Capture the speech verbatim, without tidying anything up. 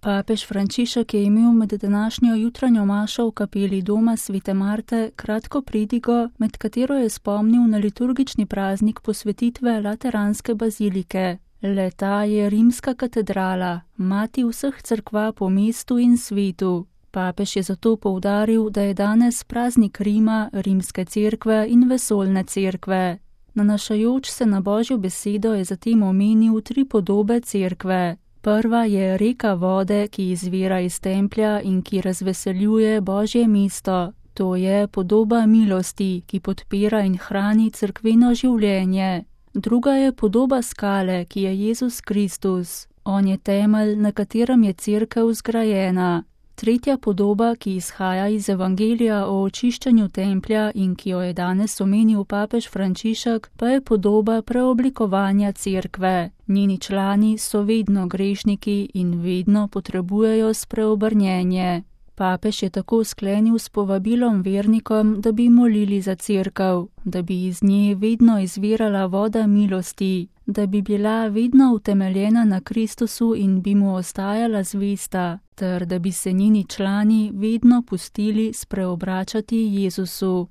Papež Frančišek je imel med današnjo jutranjo mašo v kapeli doma svete Marte kratko pridigo, med katero je spomnil na liturgični praznik posvetitve Lateranske bazilike. Le-ta je rimska katedrala, mati vseh cerkva po mestu in svetu. Papež je zato poudaril, da je danes praznik Rima, rimske cerkve in vesoljne cerkve. Nanašajoč se na Božjo besedo je zatem omenil tri podobe cerkve. Prva je reka vode, ki izvira iz templja in ki razveseljuje Božje mesto. To je podoba milosti, ki podpira in hrani cerkveno življenje. Druga je podoba skale, ki je Jezus Kristus. On je temelj, na katerem je cerkev zgrajena. Tretja podoba, ki izhaja iz evangelija o očiščenju templja in ki jo je danes omenil papež Frančišek, pa je podoba preoblikovanja cerkve. Njeni člani so vedno grešniki in vedno potrebujejo spreobrnjenje. Papež je tako sklenil s povabilom vernikom, da bi molili za cerkev, da bi iz nje vedno izvirala voda milosti, da bi bila vedno utemeljena na Kristusu in bi mu ostajala zvesta, ter da bi se njeni člani vedno pustili spreobračati Jezusu.